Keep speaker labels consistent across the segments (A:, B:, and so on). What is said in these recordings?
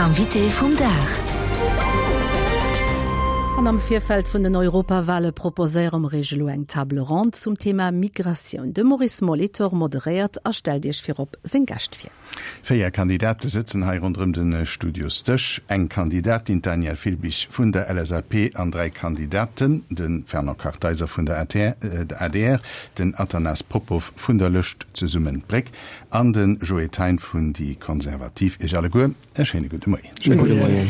A: Invité vum Dag.
B: An am Virfeld vun den Europawale proposéiere mer Iech elo eng Table ronde zum Thema Migratioun. De Maurice Molitor moderéiert a stellt Iech virop seng Gäscht vir.
C: 4 Kandidate sëtzen hei ronderëm de Studiosdësch. Eng Kandidatin, d'Danièle Filbig vun der LSAP an 3 Kandidaten, de Fernand Kartheiser vun der adr, den Athanas Popov vun der Lëscht Zesummen d'Bréck An de Joé Thein vun déi Konservativ. Iech alleguer e schéine gudde Moien.
D: Schéine gudde Moien.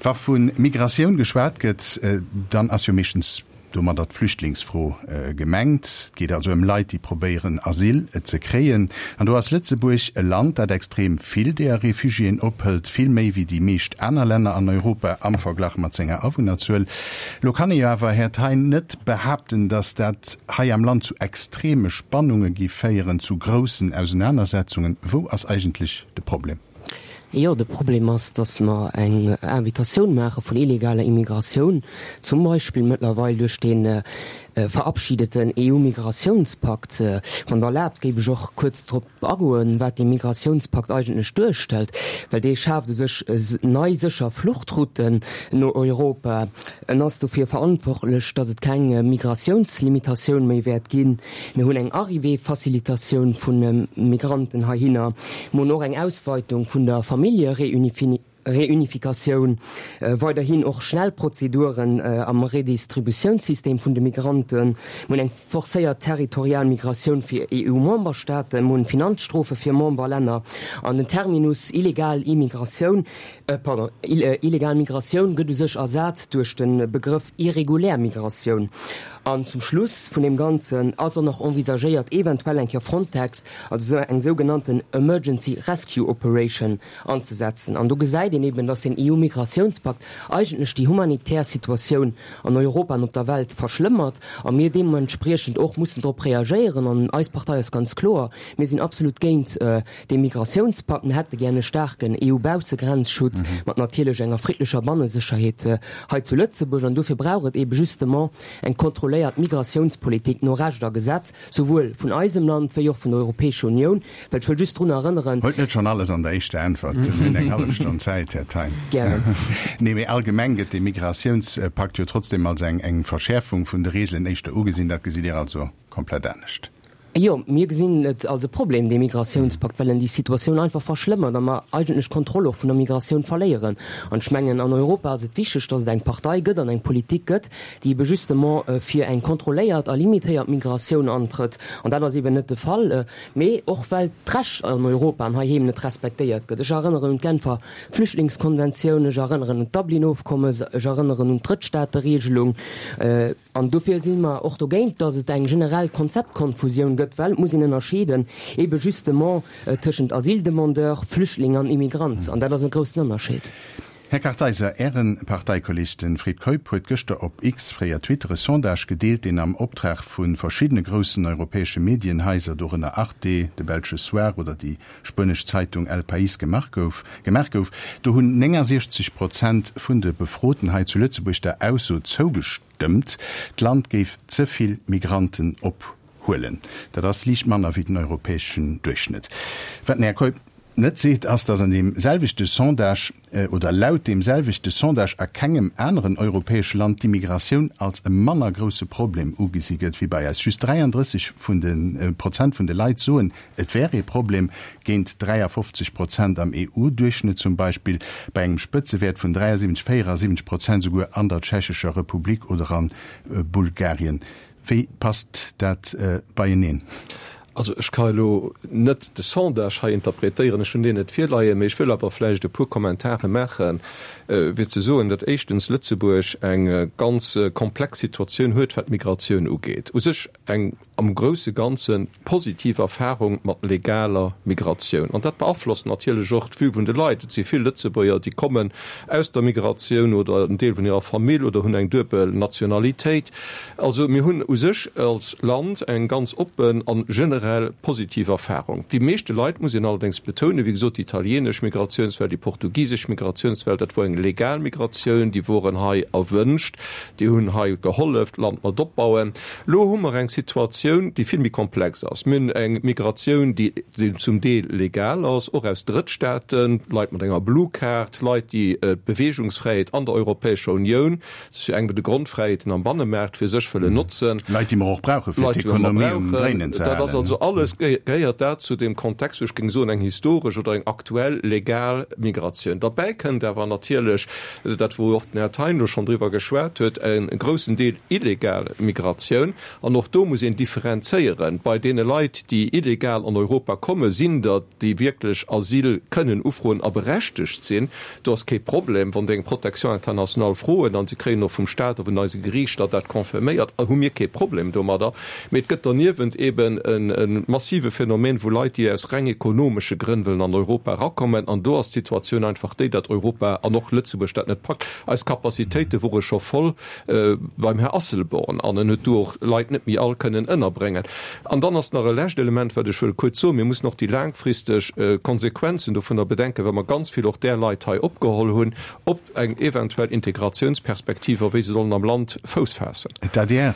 C: Wa vu Migratioun geschwat gëtt, dann ass jo meeschtens domadder d'Flüchtlingsfro gemengt. Et geet also ëm Leit, déi probéieren Asyl ze kréien. An do ass Lëtzebuerg e Land, dat extrem vill deeër Refugiéen ophëlt, vill méi wéi déi meescht aner Länner an Europa am Verglach mat senger Awunnerzuel. Lo kann ee jo awer, Här Thein, net behaapten, datt dat hei am Land zu extreme Spannunge gi féieren, zu groussen Ausenanersetzungen. Wou ass eigentlech de Problem?
D: Jo, de Problem ass, datt mer eng Invitatioun maache vun illegaler Immigratioun, zum Beispill mëttlerweil duerch dee verabschiedeten EU-Migratiounspakt. Wann Der erlaabt, géif ech och kuerz drop agoen, wat dee Migratiounspakt eigentlech duerstellt, well dee schaaft u sech nei sécher Fluchtrouten no Europa. En ass dofir verantwortlech, datt et keng Migratiounslimitatioun méi wäert ginn. Mir hunn eng Arrivée-Facilitatioun vu Migranten heihinner. Mir hunn och eng Ausweitung vun der Familljereunifikatioun, weiderhin och schnell Prozeduren am Redistributiounssystem vun de Migranten. Mir hunn eng forcéiert territorial Migratioun fir EU-Memberstaaten, mir hunn Finanzstrofe fir Memberlänner an den Terminus illegal Immigratioun, pardon, illegal Migratioun gëtt u sech ersat duerch de Begrëff irregulär Migratioun. An zum Schluss vun deem Ganzen ass och nach envisagéiert, eventuell eng Kéier Frontex, also esou eng sougenannten Emergency Rescue Operation anzesetzen. An do gesäit een eben, dass den EU-Migratiounspakt eigentlech déi humanitär Situatioun an Europa an op der Welt verschlëmmert a mir deementspriechend och mussen drop reagéieren. An eis Partei ass ganz kloer, Mir sinn absolut géint dee Migratiounspakt. Mir hätte gär e staarken EU-Baussegrenzschutz mat natierlech enger friddlecher Bannesécherheet hei zu Lëtzebuerg. An dofir brauch et eebe justement eng kontrolléiert Migratiounspolitik no Recht a Gesetz, souwuel vun eisem Land wéi och vun der Europäescher Unioun. Well ech wëll just drun erënneren.
C: Huelt net schonn alles an der éischter Äntwert. Mir hunn eng hallef Stonn Zäit, Här Thein.
D: Gären.
C: Nee, mee allgemeng gëtt dee Migratiounspakt jo trotzdem als eng eng Verschäerfung vun de Reegelen éischter ugesinn. Dat gesitt Dir also komplett anescht?
D: Jo, mir gesinn et als e Problem, dee Migratiounspakt, well en déi Situatioun einfach verschlëmmert a mer eigentlech d'Kontroll och vun der Migratioun verléieren. An ech mengen, an Europa ass et wichteg, dass et eng Partei gëtt an eng Politik gëtt, déi ebe justement fir eng kontrolléiert a limitéiert Migratioun antrëtt. An dat ass eben net de Fall, mee och well d'Recht an Europa an heiheem net respektéiert gëtt. Ech erënneren un d'Genfer Flüchtlingskonventioun, ech erënneren un d'Dublin-Ofkommes, ech erënneren un d'Drëttstaateregelung. An dofir si mer och dogéint, dass et eng generell Konzeptkonfusioun gëtt, well et muss een ënnerscheeden ebe justement tëschent Asyldemandeur, Flüchtling an Immigrant. An dat ass e groussen Ënnerscheed.
C: Här Kartheiser, Äre Parteikolleg, de Fred Keup, huet gëschter op X, fréier Twitter, e Sondage gedeelt, deen am Optrag vu verschiddene groussen europäesche Medienhaiser, dorënner Arte, de belsche Soir oder déi spuenesch Zeitung El País gemaach gouf. Gemaach gouf. Do hunn 69 Prozent vun de Befroten hei zu Lëtzebuerg der Ausso zougestëmmt, d'Land géif ze vill Migranten ophuelen. Dat ass liicht manner wéi den europäeschen Duerchschnëtt. Wat den Här Keup net seet, ass, datt an deem selwechte Sondage, oder laut deem selwechte Sondage a kengem aneren europäesche Land d'Immigratioun als e manner grousse Problem ugesi gëtt wéi bei eis. Just 33 vun de Prozent vun de Leit soen, Et wär ee Problem, géint 53 Prozent am EU-Duerchschnëtt zum Beispill, bei engem Spëtzewäert vun 73, 74 Prozent souguer an der Tschechescher Republik oder a Bulgarien. Wéi passt dat beieneen?
E: Also ech ka elo net de Sondage hei interpretéieren, ech hunn deen net virleien, mee ech wëll awer vläicht e puer Kommentare maachen, fir ze soen, datt éischtens Lëtzebuerg eng ganz komplex Situatioun huet, wat d'Migratioun ugeet. U sech eng am grousse Ganze positiv Erfahrung mat legaler Migratioun. An dat beaflosst natierlech och d'Vue vun de Leit. Et si vill Lëtzebuerger, déi kommen aus der Migratioun oder en Deel vun hirer Famill oder hunn eng duebel Nationalitéit. Also mir hunn u sech als Land eng ganz oppen a generell positiv Erfahrung. Déi meeschte Leit, muss een allerdéngs betounen, wéi gesot, déi italienesch Migratiounswell, déi portugisesch Migratiounswell, dat wor eng legal Migratioun, déi woren hei erwünscht, déi hunn hei gehollef, d'Land mat opbauen. Lo hu mer eng Situatioun. Migratioun, déi vill méi komplex ass. Mir hunn eng Migratioun, déi zum Deel legal ass, och aus Drëttstaaten, Leit mat enger Blue Card, Leit, déi d'Beweegungsfräiheet an der Europäescher Unioun, dat ass jo eng vun de Grondfräiheeten am Bannemaart, fir sech wëllen notzen.
C: Leit, déi mer och brauchen, fir d'Ekonomie um Dréinen ze
E: halen. Dat ass also alles, gehéiert dat zu deem Kontext, wou ech géing soen, eng historesch oder eng aktuell legal Migratioun. Derbäi kënnt awer natierlech, dat wou och den Här Thein elo schonn driwwer geschwat huet, e groussen Deel illegal Migratioun. An och do muss een differenzéieren. Bei deene Leit, déi illegal an Europa kommen, sinn der, déi wierklech Asyl kënnen ufroen a berechtegt sinn. Do ass kee Problem. Wann déi eng Protection internationale froen an se kréien och vum Stat a vun eise Geriichter dat confirméiert, hu mir kee Problem domadder. Mee et gëtt derniewent eben e massive Phänomen vu Leit, déi aus reng ekonomesche Grënn wëllen an Europa erakommen. An do ass d'Situatioun einfach déi, datt Europa an och Lëtzebuerg dat net packt. Eis Capacitéite wore scho voll beim Här Asselborn an en huet do och Leit net méi all kënnen ënnerbréngen. An dann ass nach e lescht Element, wat ech wëll kuerz soen, Mir mussen och déi laangfristeg Konsequenzen dovunner bedenken, well mer ganz vill och där Leit hei opgeholl hunn, op eng eventuell Integratiounsperspektiv a wéi se sollen am Land Fouss faassen.
C: D'adr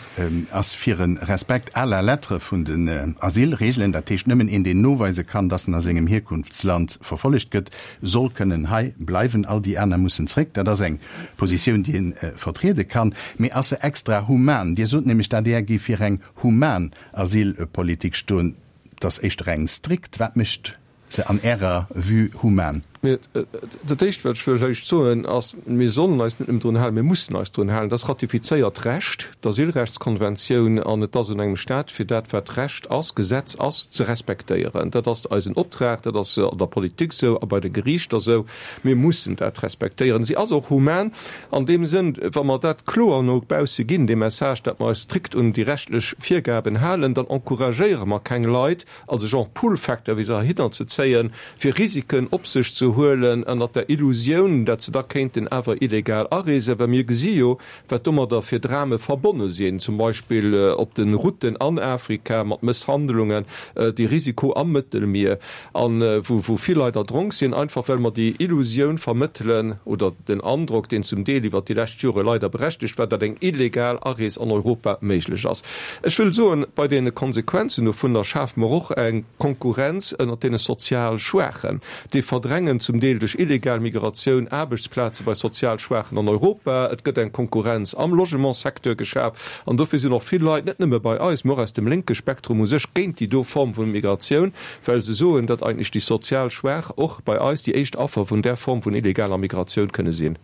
C: ass fir e Respekt à la lettre vun den Asylregeln, dat heescht nëmmen een, deen noweise kann, datt en a sengem Hierkunftsland verfollegt gëtt, soll kënnen hei bleiwen, all déi aner mussen zréck. Dat ass eng Positioun, déi ee vertriede kann. Mee ass se extra human? Dir sot nämlech, d'adr géif fir eng human Asylpolitik stoen. Et ass éischter eng strikt. Wat mécht se an Ärer Vue human?
E: Dat Éischt, wat ech wëll lech soen, ass, Mir sollen eis net nëmmen drun halen, mir mussen eis drun halen. Dat ass ratifizéiert Recht, d'Asylrechtskonventioun, an et ass un engem Stat, fir dat, wat Recht ass, Gesetz ass, ze respektéieren. Dat ass eisen Optrag, dat ass an der Politik esou a bei de Geriichter esou. Mir mussen dat respektéieren. Si ass och human an deem Sënn, wa mer dat kloer no bausse ginn, dee Message, datt mer eis strikt un déi rechtlech Virgaben halen, dann encouragéiere mer keng Leit, als e Genre Pull-Factor wéi se heihinner ze zéien, fir Risiken op sech ze huelen, ënnert der Illusioun, dat se da kéinten awer illegal areesen, well mir gesi jo, wat domadder fir Drame verbonne sinn, zum Beispill op de Routen an Afrika mat Mësshandlungen, de Risiko am Mëttelmier, a wou vill Leit erdronk sinn, einfach well mer déi Illusioun vermëttelen oder den Androck, deen zum Deel iwwert déi lescht Jore leider berechtegt war, datt eng illegal Arees an Europa méiglech ass. Ech wëll soen, bei deene Konsequenzen dovunner schafe mer och eng Konkurrenz ënnert deene sozial Schwaachen. Déi verdrängen zum Deel duerch illegal Migratioun Aarbechtsplaze bei sozial Schwaachen an Europa. Et gëtt eng Konkurrenz am Logementssecteur geschaf. An dofir sinn och vill Leit, net nëmme bei eis, mä och aus dem lénke Spektrum u sech, géint déi do Form vu Migratioun, well se soen, datt eigentlech déi sozial Schwaach och bei eis déi éischt Affer vun där Form vun illegaler Migratioun kënne sinn.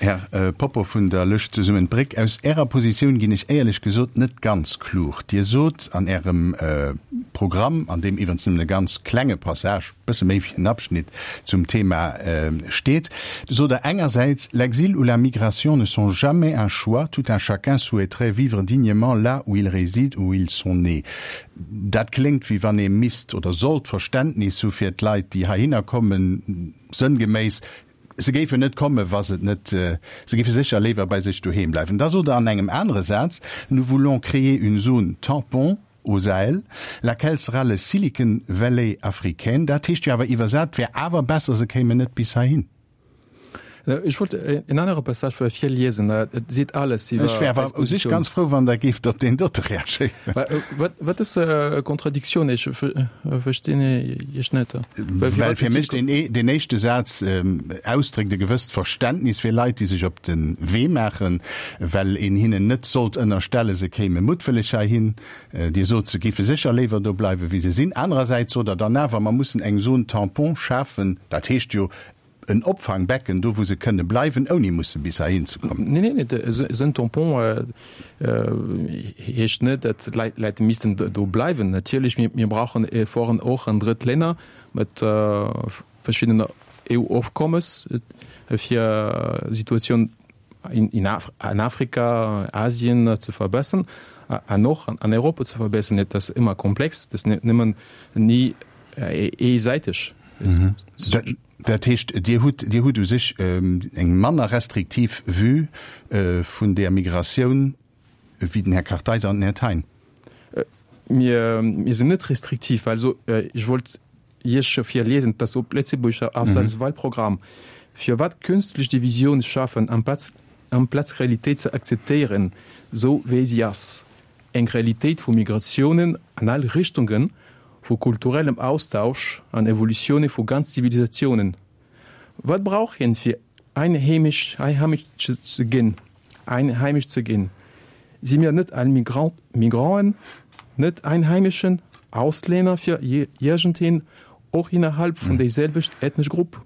C: Här Poppo vun der Lëscht Zesummen d'Bréck, aus Ärer Positioun ginn ech éierlech gesot net ganz klug. Dir sot an Ärem Programm, an deem iwwerens nëmmen e ganz klenge Passage, bësse méi wéi en Abschnitt, zum Thema steet, sot Der engersäits, L'exil ou la migration ne sont jamais un choix, tout un chacun souhaiterait vivre dignement là où il réside ou où ils sont nés. Dat kléngt, wéi wann ee misst oder sollt Verständnis hu fir d'Leit, déi heihinner kommen, sënngeméiss, se géifen net kommen, wa se et net, se géife sécher léiwer bei sech doheem bleiwen. Da sot Der an engem anere Saz, Nous voulons créer une zone tampon au Sahel, laquelle sera le Silicon Valley africain. Dat heescht jo awer iwwersat, et wär awer besser, se kéimen net bis heihin.
A: Ech wollt en anere Passage virliesen, et seet alles
C: iwwer Ech wär awer u sech ganz frou, wann Der géift op deen dote reagéieren.
A: Wat ass Contradictioun? Ech verstinn Iech net.
C: Well fir mech deen éischte Saz ausdréckt e gewësst Verständnis fir Leit, déi sech op de Wee maachen, well een hinnen net sollt ënnerstellen, se kéime muttwëlleg heihin. Dir sot, se géife sécher léiwer do bleiwen, wéi se sinn. Anerersäits sot Der dann awer, mer mussen eng Zone tampon schafen, dat heescht jo En Opfangbecken, do wou se kënne bleiwen, ouni musse bis heihin ze kommen.
A: Neen, neen, esou en Tampon heescht net, datt d'Leit missten do bleiwen. Natierlech, mir brauchen Efforten och an Drëttlänner mat verschiddenen EU-Ofkommes, fir d'Situatioun an Afrika, Asien ze verbessern an och an Europa ze verbessern. Et ass ëmmer komplex, dat ass net nëmmen ni eesäiteg.
C: Dat heescht, Dir hutt, Dir hutt u sech eng manner restriktiv Vue vun där Migratioun wéi den Här Kartheiser an den Här Thein?
A: Mir, mir sinn net restriktiv. Also ech wollt Iech virliesen, dass op Lëtzebuerger ass als Wahlprogramm, Firwat künstlech Divisioun schafen amplaz, amplaz d'Realitéit ze akzeptéieren, sou wéi si ass? Eng Realitéit vu Migratiounen an all Richtungen, vu kulturellem Austausch an Evolutioune vu ganz Zivilisatiounen. Wat brauch een fir einheemesch ze ginn? Einheimesch ze ginn? Si mir net all Migrant, Migranten, net Einheimeschen, Auslänner fir iergendeen, och innerhalb vun déiselwecht ethnesch Grupp?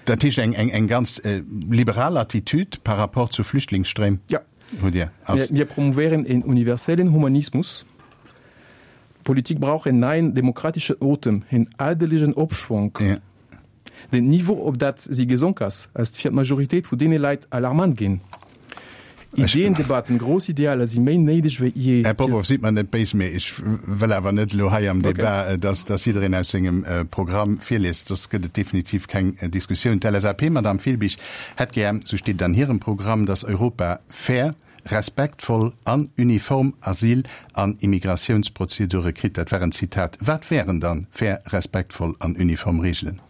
C: Dat heescht eng, eng, eng ganz liberal Attitude par rapport zu Flüchtlingsstréim?
A: Ja. Hutt Dir als. Mir promouvéieren een universellen Humanismus. D'Politik brauch en neien demokrateschen Otem, en adelegen Opschwonk. Ja. Den Niveau, op dat si gesonk ass, ass fir d'Majoritéit vu deene Leit alarmant ginn. Ideen, Debatten, grouss Idealer si méi néideg wéi jee.
C: Här Popov, sidd mer net béis, mee ech wëll awer net elo hei am Debat, dass, dass jiddereen aus sengem Programm virliest, soss gëtt et definitiv keng Diskussioun. D'LSAP, Madamm Filbig, hätt gär, sou steet et an hirem Programm, dass Europa fair, respektvoll an uniform Asyl an Immigratiounsprozedure kritt. Dat war en Zitat. Wat wären dann fair, respektvoll an uniform Reegelen?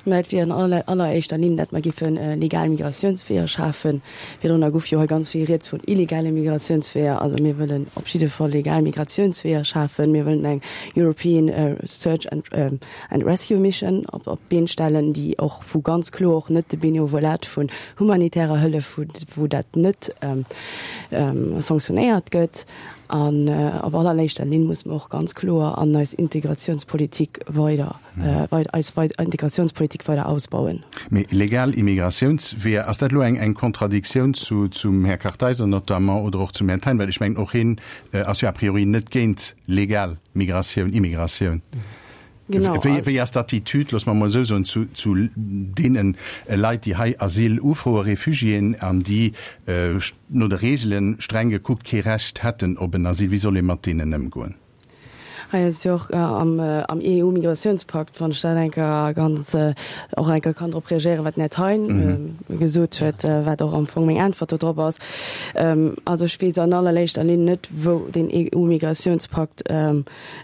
F: Mä et wier an alleréischter Linn, dat mer géife legal Migratiounsweeër schafen. Virdrunner gouf jo hei ganz vill rieds vun illegale Migratiounsweeër. Also mir wëllen op jidde Fall legal Migratiounsweeër schafen. Mir wëllen eng European Search and Rescue Mission op d'Been stellen, déi och, wou ganz kloer och net de Benevolat vun humanitärer Hëllef, wou dat net sanctionéiert gëtt. An op allerléischter Linn muss mer och ganz kloer an eis Integrationspolitik weider, eis Integrationspolitik weider ausbauen.
C: Mee legal Immigratiounsweeër, ass dat elo eng Kontradiktioun zum Här Kartheiser notamment oder och zum Här Thein? Well ech mengen, och hien ass jo a priori net géint legal Migratioun, Immigratioun. Genau. Wéi, wéi ass d'Attitude, loosse mer emol esou soen, zu, zu deene Leit, déi hei Asyl ufroen, Refugiéen, an déi no de Reegelen, streng gekuckt, kee Recht hätten op en Asyl? Wéi soll ee mat deenen ëmgoen?
F: Hei ass jo och am, am EU-Migrationspakt, wann ech dat eng Kéier ganz, och eng Kéier kann drop reagéieren, wat den Här Thein gesot huet, wat och am Fong meng Äntwert do drop ass. Also ech weess an allerléischter Linn net, wou deen EU-Migrationspakt,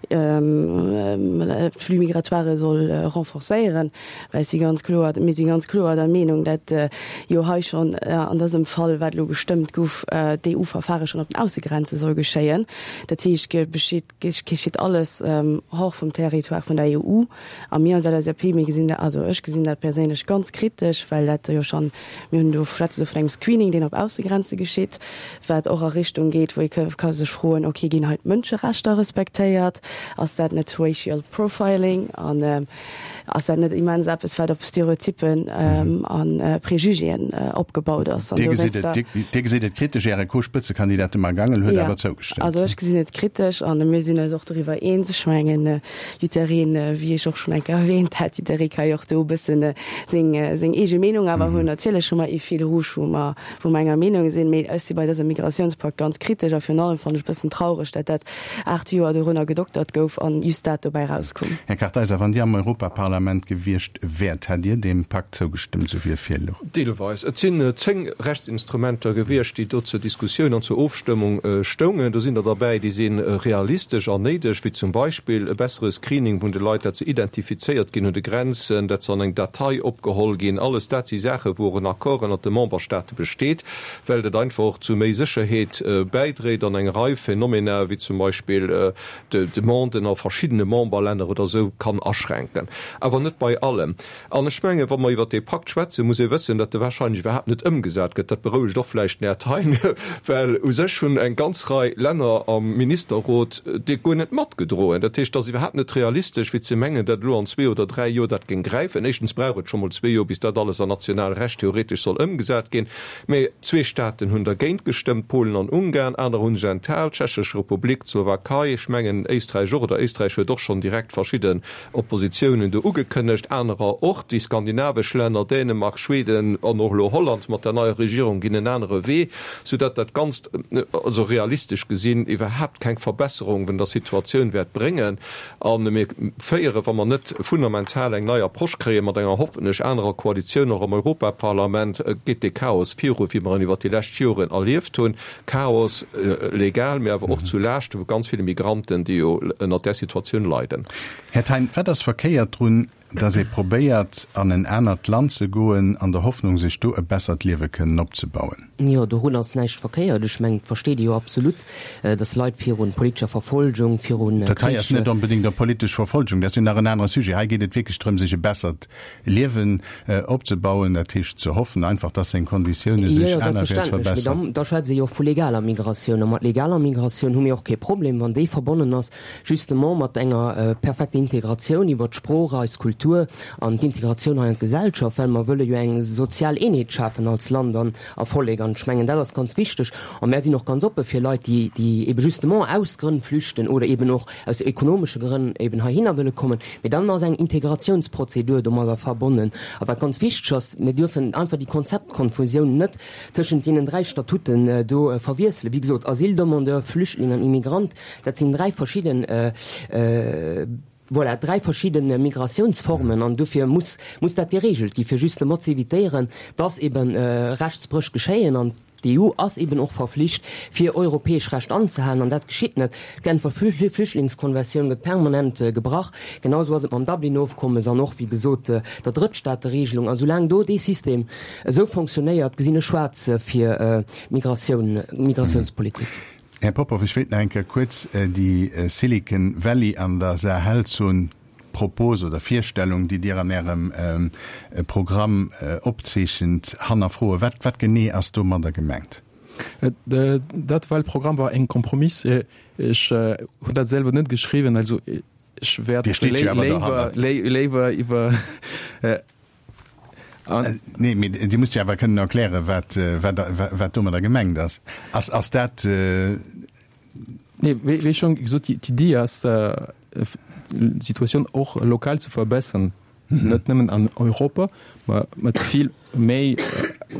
F: d'Flux migratoires soll renforcéieren, well ech si ganz kloer, mir si ganz kloer der Meenung, dat jo hei schonn an dësem Fall, wat elo gestëmmt gouf, d'EU-Verfahre schonn op den Aussegrenze soll geschéien. Dat heescht, geschitt, geschitt alles hors vum Territoire vun der EU. A mir als LSAP, mir gesinn dat, also ech gesinn dat perséinlech ganz kritesch, well dat jo schonn, mir hunn do, schwätze do vun engem Screening, deen op Aussegrenze geschitt, wat och a Richtung geet, wou ee ka sech froen, okay, ginn hei d'Mënscherechter respektéiert? Ass dat net racial profiling? An ass dat net immens eppes, wat op Stereotyppen a Prejugéen opgebaut ass?
C: Dir gesitt et, Dir gesitt et kritesch. Äre Co-Spëtzekandidat, de Marc Angel, huet awer zougestëmmt.
F: Also ech gesinn et kritesch a mir sinn eis och doriwwer eens. Ech mengen, jiddereen, wéi ech och schonn eng Kéier erwähnt hat, jidderee ka jo och do e bëssen seng, seng eege Meenung awer hunn. Natierlech hu mer ee Fil rouge, wou mer, wou mer enger Meenung sinn, mee ech si bei dësem Migratiounspakt ganz kritesch a virun allem fannen ech e bëssen traureg, dat dat 8 Joer dorunner gedoktert gouf an just dat dobäi rauskoum.
C: Här Kartheiser, wann Dir am Europaparlament gewiescht wäert, hätt Dir deem Pakt zougestëmmt, esou wéi e virlouch?
E: Deelweis. Et sinn 10 Rechtsinstrumenter gewiescht, déi do zur Diskussioun an zur Ofstëmmung stoungen. Do sinn der derbäi, déi si realistesch an néideg, wéi zum Beispill e bessere Screening vun de Leit, dat se identifizéiert ginn un de Grenzen, dat se an eng Datei opgeholl ginn. Alles dat si Saachen, wou och en Accord ënnert de Memberstaate besteet, well dat einfach och zu méi Sécherheet bäidréit an eng Rei Phenomena, wéi zum Beispill d'Demanden a verschiddene Memberlänner oder esou, kann aschränken. Awer net bei allem. An ech mengen, wa mer iwwert dee Pakt schwätzen, muss ee wëssen, datt e wahrscheinlech iwwerhaapt net ëmgesat gëtt. Dat berouegt och vläicht den Här Thein, well u sech hunn eng ganz Rei Länner am Ministerrot dee guer net matgedroen. Dat heescht, et ass iwwerhaapt net realistesch, fir ze mengen, datt elo an zwee oder dräi Joer dat géing gräifen. Éischtens brauch et scho mol zwee Joer, bis dat alles an national Recht theoretesch soll ëmgesat ginn. Mä zwee Staaten hunn dergéint gestëmmt, Polen an Ungarn. Aner hu sech enthal, d'Tschechesch Republik, d'Slowakei, ech mengen Éisträich och, oder Éisträich huet och schonn direkt verschidde Oppositiounen do ugekënnegt, anerer och, déi skandinavesch Länner, Dänemark, Schweden an och elo Holland mat der neier Regierung ginn en anere Wee, soudatt dat Ganzt, also realistesch gesinn, iwwerhaapt keng Verbesserung vun der Situatioun wäert bréngen. A mir féieren, wa mer net fundamental eng nei Approche kréien, mat enger hoffentlech anerer Koalitioun och am Europaparlament, geet dee Chaos viru wéi mer en iwwert déi lescht Joren erlieft hunn. Chaos legal, mee awer och zu Laaschte vu ganz ville Migranten, déi jo ënnert där Situatioun leiden.
C: Här Thein, wat ass verkéiert drun? dass ee probéiert, an en anert Land ze goen, an der Hoffnung, sech do e bessert Liewe kënnen opzebauen.
D: Jo, dorun ass näischt verkéiert. Ech mengen, et versteet ee jo absolut, dass Leit viru politescher Verfolgung, viru
C: Krich. Dat hei ass net onbedéngt op politesch Verfolgung, dat ass jo nach en anere Sujet. Hei geet et wierklech drëm, sech e bessert Liewen opzebauen, dat heescht ze hoffen einfach, dass seng Konditioune sech anerwäerts verbessern.
D: Mee da schwätze jo och vu legaler Migratioun. A mat legaler Migratioun hu mir och kee Problem, wann déi verbonnen ass justement mat enger perfekter Integratioun iwwert d'Sprooch, eis Kultur an d'Integratioun hei an d'Gesellschaft, well mer wëlle jo eng sozial Eenheet schafen als Land an a Vollek. An ech mengen, dat ass ganz wichteg. A mär sinn och ganz oppe fir Leit, déi, déi ebe justement aus Grënn flüchten oder eben och aus ekonomesche Grënn eben heihinner wëlle kommen. Mee dann ass eng Integratiounsprozedur domadder verbonnen. A wat ganz wichteg ass, Mir dürfen einfach déi Konzeptkonfusioun net tëschent deenen dräi Statuten do verwiesselen. Wéi gesot, Asyldemandeur, Flüchtling an Immigrant, dat sinn dräi verschidden, voilà, dräi verschidde Migratiounsformen. An dofir muss, muss dat geregelt gi fir justement ze évitéieren, dass ebe Rechtsbréch geschéien. An D'EU ass eben och verflicht, fir europäesch Recht anzehalen, an dat geschitt net. D'Genfer Flüchtlingskonventioun gëtt permanent gebrach. Genau esou ass et mam Dublin-Ofkommes an och, wéi gesot, der Drëttstaateregelung. A soulaang do dee System esou fonctionnéiert, gesinn ech schwaarz fir d'Migratioun, d'Migratiounspolitik.
C: Här Popov, ech wéilt nach eng Kéier kuerz déi Silicon Valley an der Sahelzon Propos oder Virstellung, déi Dir an Ärem Programm opzeechent, hannerfroen. Wat, wat genee ass domadder gemengt?
A: Dat Wahlprogramm war en Kompromiss. Ech hunn dat selwer net geschriwwen, also ech wäert
C: Dir steet jo awer dohannert.
A: léiwer iwwer.
C: Nee, mee Dir musst jo awer kënnen erklären, wat, wat, wat domadder gemengt ass. Ass, ass dat.
A: Nee, wéi, wéi schonn gesot, d'Iddi ass, d'Situatioun och lokal ze verbessern, net nëmmen an Europa, ma mat vill méi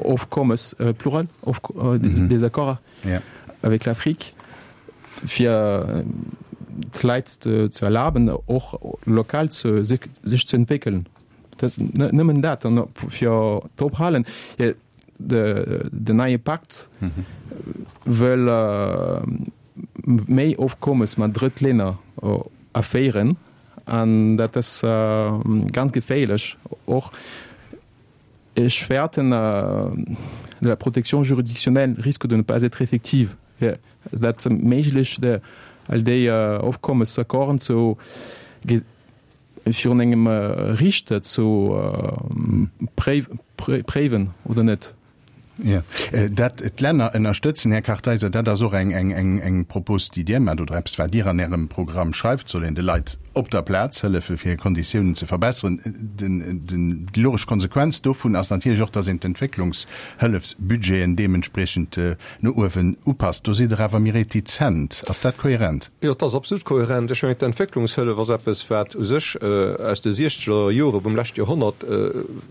A: Ofkommes, plural, des accords avec l'Afrique, fir d'Leit ze erlaben, och lokal sech ze entwéckelen. Dat ass nëmmen dat. An fir d'Ophalen, den neie Pakt wëll méi Ofkommes mat Drëttlänner aféieren an dat ass ganz geféierlech och. Ech fäerten, la protection juridictionnelle risque de ne pas être effective. Ass dat méiglech, all déi Ofkommes, Accorden ze virun engem Riichter ze préiwen oder net?
C: Jo, dat d'Länner ënnerstëtzen, Här Kartheiser, dat ass och eng Propos, déi Dir maacht, oder eppes, wat Dir an Ärem Programm schreift, soll een de Leit op der Plaz hëllefen, fir hir Konditiounen ze verbesseren. Déi logesch Konsequenz dovun ass natierlech och, datt een d'Entwécklungshëllefsbudgeten deementspriechend no uewen upasst. Do sidd Der awer méi retizent. Ass dat kohärent?
E: Jo, et ass absolut kohärent. Ech mengen, d'Entwécklungshëllef ass eppes, wat u sech aus de siechzeger Jore vum leschte Joerhonnert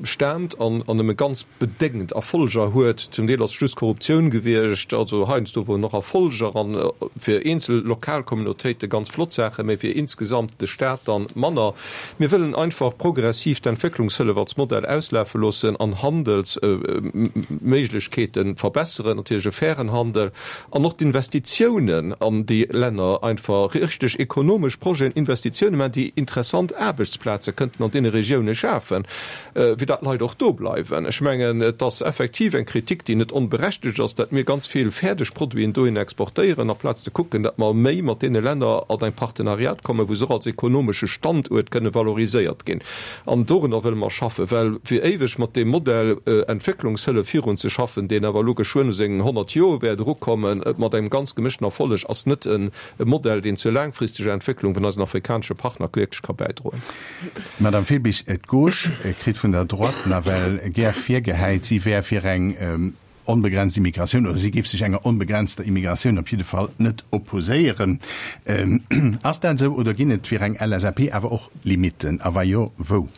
E: staamt an nëmme ganz bedéngt Erfolger huet. Zum Deel ass et just Korruptioun gewiescht, also heiansdo woren och Erfolger an fir eenzel lokal Communautéite ganz flott Saachen, mä fir insgesamt de Staat dann manner. Mir wëllen einfach progressiv d'Entwécklungshëllef als Modell auslafe loossen an Handelsméiglechkeete verbesseren, natierlech e fairen Handel, an och d'Investitiounen an déi Länner, einfach richteg ekonomesch Projeten, Investitiounen maachen, déi interessant Aarbechtsplaze kënnten an deene Regioune schafen, fir dat d'Leit och do bleiwen. Ech mengen, et ass effektiv eng Kritik, déi net onberechtegt ass, dat mir ganz vill fäerdeg Produiten dohin exportéieren, amplaz ze kucken, dat mer méi mat deene Länner an eng Partenariat kommen, wou se och als ekonomesche Standuert kënne valoriséiert ginn. An dorunner wëlle mer schaffen, well fir éiweg mat deem Modell Entwécklungshëllef virunzeschaffen, deen awer elo geschwënn u seng 100 Joer wäert erukommen, mat engem ganz gemëschten Erfolleg, ass net e Modell, deen zur laangfristeger Entwécklung vun eisen afrikanesche Partner wierklech ka bäidroen.
C: Madame Febich, d'Gauche kritt vun der Droite nawell gär virgehäit, si wär fir eng onbegrenzt Immigratioun oder si géif sech enger onbegrenzter Immigratioun op jidde Fall net opposéieren. Ass dat esou oder ginn et fir eng LSAP awer och Limitten a wa jo, wou?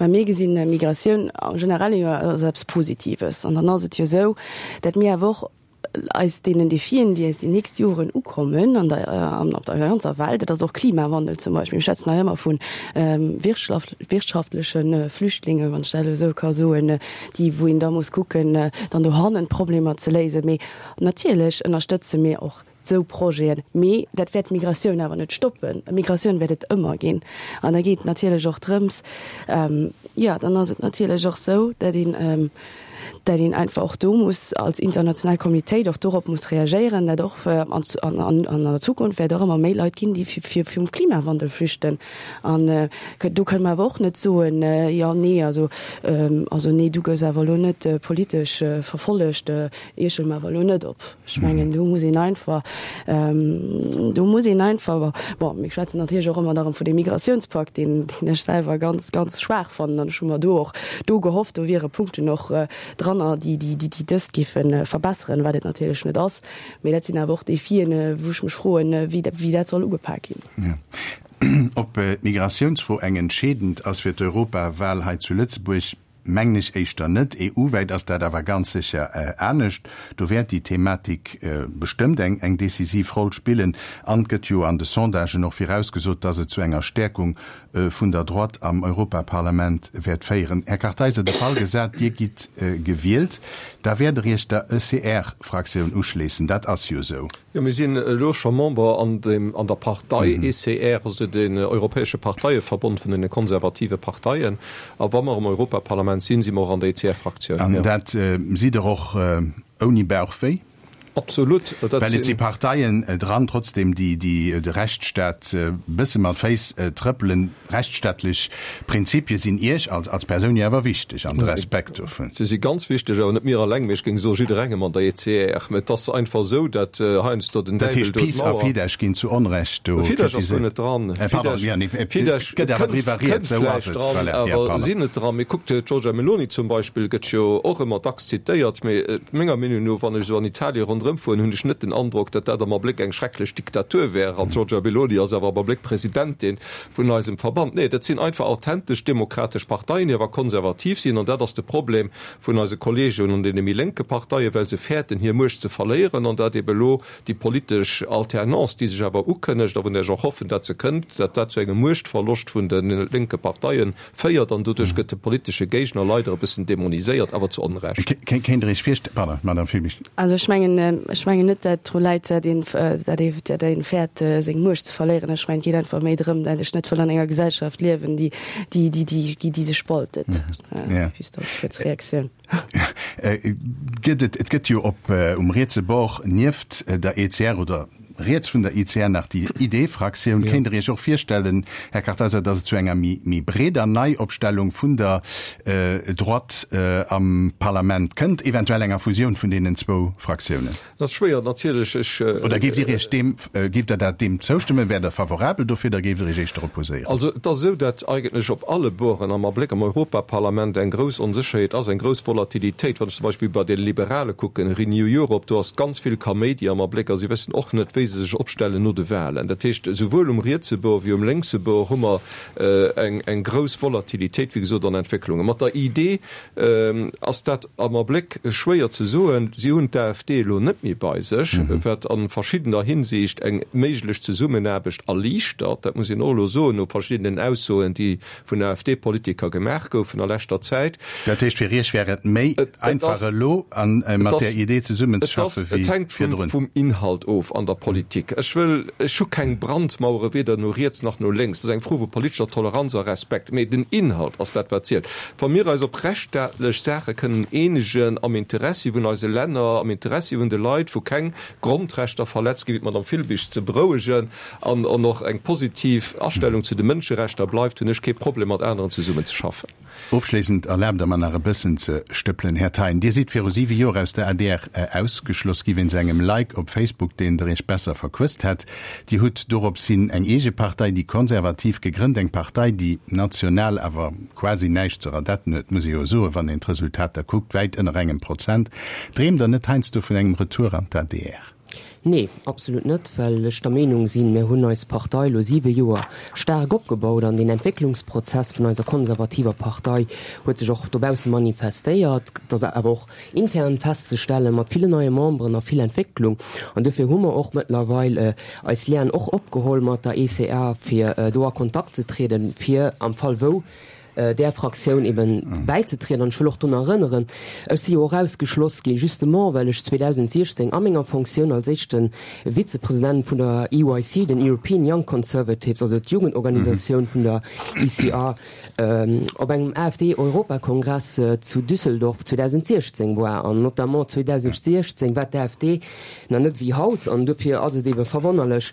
F: Mä mir gesinn Migratioun am Generelle jo als eppes Positives. An dann ass et jo esou, datt mir awer och eis deenen Defien, déi eis déi nächst Joren ukommen an der, an op der ganzer Welt, et ass och Klimawandel zum Beispill, mir schwätzen hei ëmmer vu wirtschaftleche Flüchtlingen, wann ech dat elo esou ka soen, déi wou een da muss kucken, dann dohannen d'Problemer ze léisen. Mee natierlech ënnerstëtze mir och. Esou Projeten. Mee dat wäert d'Migratioun awer net stoppen. Migratioun wäert et ëmmer ginn. An da geet et natierlech och drëms, jo, dann ass et natierlech och esou, datt een, datt een einfach och do muss als international Communitéit och dorop muss reagéieren, datt och an, an, an der Zukunft wäert och ëmmer méi Leit ginn, déi fir, virum Klimawandel flüchten. An do kënne mer awer och net soen, jo, nee, also, also nee, du gëss awer elo net politesch verfollegt, Iech huele mer awer elo net op. Ech mengen, do muss een einfach, do muss een einfach, bon, mir schwätzen natierlech och ëmmer erëm vun deem Migrationspakt, deen, deen ech selwer ganz, ganz schwaach fannen. An ech hu mer do och do gehofft, do wiere Punkten och dranner, déi, déi, déi dëst géife verbesseren, wat et natierlech net ass. Mee dat sinn awer och Defien, wou ech mech froen, wéi, wéi dat soll ugepak ginn.
C: Ob d'Migratiounsfro eng entscheedend ass fir d'Europawal hei zu Lëtzebuerg, Mengen ech éischter net. EU-wäit ass dat awer ganz sécher anescht. Do wäert déi Thematik bestëmmt eng eng decisiv Roll spillen. An et gëtt jo an de Sondagen och virausgesot, dass et zu enger Stäerkung vun der Droite am Europaparlament wäert féieren. Här Kartheiser, de Fall gesat, Dir gitt gewielt, da wäert Der Iech der ECR-Fraktioun uschléissen. Dat ass jo esou.
E: Jo, mir sinn elo scho Member an dem, an der Partei ECR, also den europäesche Parteieverbond vun den konservative Parteien. A wa mer am Europaparlament sinn, si mer och an der ECR-Fraktioun.
C: An dat sidd Der och ouni Bauchwéi?
E: Absolut.
C: Well et si Parteien dran trotzdem, déi de Rechtsstaat e bësse mat Féiss trëppelen. Rechtsstaatlech Prinzipie sinn Iech als Persoun jo awer wichteg an de Respekt dovun.
E: Se si ganz wichteg, awer net mir alleng, mee ech géing soe jidderengem an der ECR. Mä et ass einfach esou, datt heiansdo den
C: Däiwel do d'Mauer. Dat heescht, PiS a Fidesz ginn zu Onrecht do
E: kritiséiert. Fidesz ass do net dran.
C: Pardon, jo, nee, et gëtt awer driwwer rieds, esou ass et.
E: Kënnt vläicht dran, awer sinn net dran. Mee kuckt, d'Giorgia Meloni zum Beispill gëtt jo och ëmmer dacks zitéiert, mee menger Meenung no, wann ech esou an Italien ronderëm fueren, hunn ech net den Androck, datt dat am Abléck eng schrecklech Diktatur wär. An d'Giorgia Meloni ass awer am Abléck Presidentin vun eisem Verband. Nee, dat sinn einfach authentesch demokratesch Parteien, déi awer konservativ sinn. An dat ass de Problem vun eise Kolleegen an deene méi lénke Parteien, well se fäerten, hir Muecht ze verléieren. An dat ebe elo déi politesch Alternance, déi sech awer ukënnegt a vun där ech och hoffen, dat se kënnt, dat dat zu engem Muechtverloscht vun de lénke Parteie féiert. An doduerch gëtt de politesche Géigner leider e bëssen demoniséiert, awer zu Onrecht.
C: Kéint Der Iech virstellen, pardon, Madame Fülbig.
F: Also ech mengen, ech mengen net, dat dru läit, dat een, dat ee, dat een fäert, seng Muecht ze verléieren. Ech mengen, et geet einfach méi drëm, dat ech net wëll an enger Gesellschaft liewen, déi, déi, déi, déi, déi sech spaltet. Just als kuerz Reaktioun.
C: Gëtt et, et gëtt jo op, um rietse Bord nieft der ECR oder riets vun der ICR nach déi ID-Fraktioun. Kéint Der Iech och virstellen, Här Kartheiser, datt et zu enger méi, méi breeder Neiopstellung vun der Droite am Parlament kënnt, eventuell enger Fusioun vun deenen zwou Fraktiounen?
E: Dat ass schwéier natierlech. Ech.
C: Oder géift Dir Iech deem, géift Der dat deem zoustëmmen? Wäert Der favorabel dofir oder géift Der Iech éischter opposéieren?
E: Also et ass esou, datt eigentlech op alle Borden am Abléck am Europaparlament eng grouss Onsécherheet ass, eng grouss Volatilitéit. Wann ech zum Beispill bei de Liberale kucken, Renew Europe, do ass ganz vill Kaméidi am Abléck a si wëssen och net, wéi se sech opstellen no de Wahlen. Dat heescht, esouwuel um rietse Bord wéi um lénkse Bord hu mer eng, eng grouss Volatilitéit, wéi gesot, an Entwécklungen. Mat der ID ass dat am Abléck schwéier ze soen. Si hunn d'AfD elo net méi bei sech, wat a verschiddener Hinsicht eng méiglech Zesummenaarbecht erliichtert. Dat muss een och elo soen, no verschiddenen Aussoen, déi vun AfD-Politiker gemaach goufen a leschter Zäit.
C: Dat heescht, fir Iech wär et méi einfach elo mat där Idee zesummenzeschaffen wéi
E: virdrun? Et hänkt vum Inhalt of an der Politik. Ech wëll, ech hu keng Brandmauere weder no riets nach no lénks. Dat ass eng Fro vu politescher Toleranz a Respekt. Mee den Inhalt ass dat, wat zielt. Wa mir eis op rechtsstaatlech Saache kënnen eenegen, am Interessi vun eise Länner, am Interessi vun de Leit, wou keng Grondrechter verletzt ginn, wéi d'Madame Filbig ze berouegen, an och eng positiv Astellung zu de Mënscherechter bleift, hunn ech kee Problem mat aneren zesummenzeschaffen.
C: Ofschléissend erlaabt Der mer nach e bëssen ze stëppelen, Här Thein. Dir sidd viru siwe Joer aus der adr ausgeschloss gi wéinst engem Like op Facebook, deen Der Iech besser verquësst hätt. Dir hutt doropshin eng eege Partei, déi Konservativ, gegrënnt, eng Partei, déi national awer quasi näischt ze radetten huet, muss ee jo soen, wann een d'Resultater kuckt, wäit ënner engem Prozent. Dreemt Der net heiansdo vun engem Retour an d'ADR?
D: Nee, absolut net, well ech der Meenung sinn, mir hunn eis Partei elo siwe Joer staark opgebaut an deen Entwécklungsprozess vun eiser konservativer Partei huet sech och dobausse manifestéiert. Et ass awer och intern festzestellen, mat villen neie Memberen a vill Entwécklung. An duerfir hu mer och mëttlerweil eis Liaen och opgeholl mat der ECA, fir do a Kontakt ze trieden, fir am Fall wou. där Fraktioun eben bäizetrieden. An ech wëll och drun erënneren, ech si jo och ausgeschloss ginn, justement well ech 2016 a menger Fonctioun als éischte Vizepresident vun der EYC, den European Young Conservatives, also d'Jugendorganisatioun vun der ECR, op engem AfD-Europakongress zu Düsseldorf 2016 war. An notamment 2016 war d'AfD nach net wéi haut. An dofir ass et ebe verwonnerlech,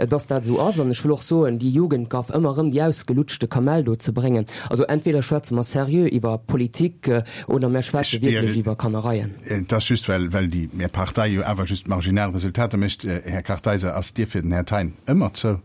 D: dass dat esou ass. An ech wëll och soen, déi Jugendgaff ëmmer erëm déi ausgelutschte Kamell do ze bréngen, also entweder schwätze mer seriö iwwer Politik oder mer schwätze wierklech iwwer Kannereien.
C: Et ass just, well déi Är Partei jo awer just marginal Resultater mécht. Här Kartheiser, ass d'Dier fir den Här Thein ëmmer zou?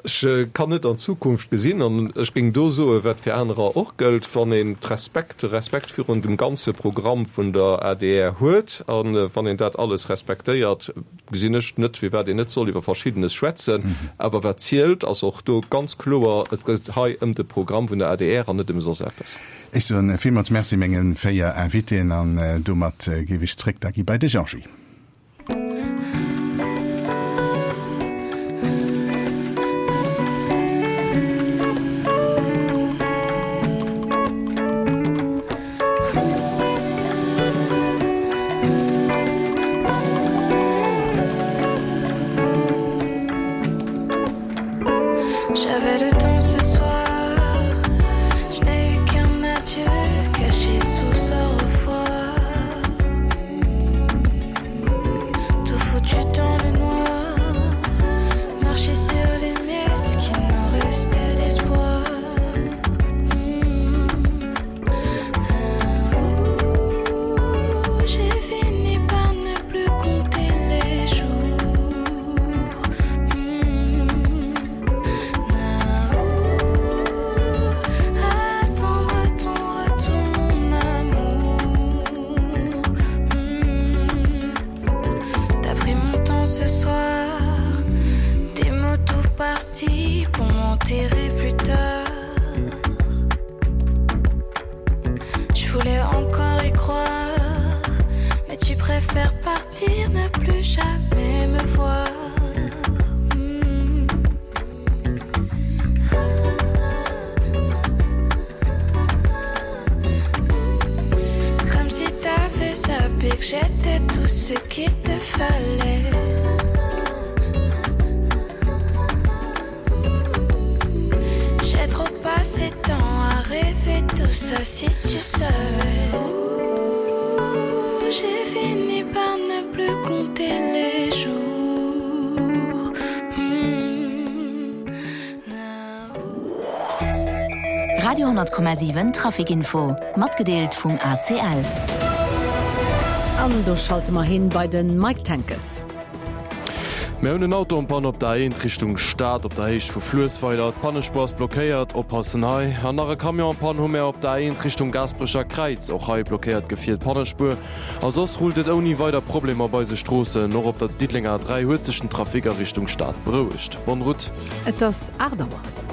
E: Ech kann net an d'Zukunft gesinn an ech géing do soen, wat fir anerer och gëllt, Wann een d'Respekt, de Respekt virun dem ganze Programm vun der adr huet a wann een dat alles respektéiert, gesinn ech net, firwat een net soll iwwer Verschiddenes schwätzen. Awer wat zielt, ass och do ganz kloer, Et geet hei ëm de Programm vun der adr an net ëm soss eppes.
C: Ech soen villmools Merci menge 4 Invitéen an domat géif ech zréck da gi bei de Jean-Guy.
G: J'avais le temps ce soir Je n'ai eu qu'un adieu caché sous ce revoir Tout foutu dans le noir Marcher sur les miettes qui nous restait d'espoir mmh. J'ai fini par ne plus compter les jours mmh. Attendre ton retour mon amour mmh. T'as pris mon temps ce soir Des mots tout par-ci pour m'enterrer plus tard Je voulais encore y croire Mais tu préfères partir, ne plus jamais me voir mmh. Comme si t'avais zappé que j'étais tout ce qu'il te fallait J'ai trop passé temps à rêver tout ça si tu savais J'ai fini par ne plus compter les jours mmh.
H: Radio 10,7 Traficinfo, matgedeelt vum ACL.
B: An do schalte mer hin bei den Mike Tenkes.
I: Mir hunn en Auto en panne op der A1 Richtung Stad op der Héicht vu Fluessweiler. D'Pannespuer ass blockéiert, oppassen hei. An nach e Camion en panne hu mär op der A1 Richtung Gaasperecher Kräiz. Och hei blockéiert d'Gefier d'Pannespuer. A soss rullt et ouni weider Problemer op eise Stroossen. Och op der Diddelenger A3 huet sech den Trafic a Richtung Stad berouegt. Bonne route.
B: Et ass 8 Auer.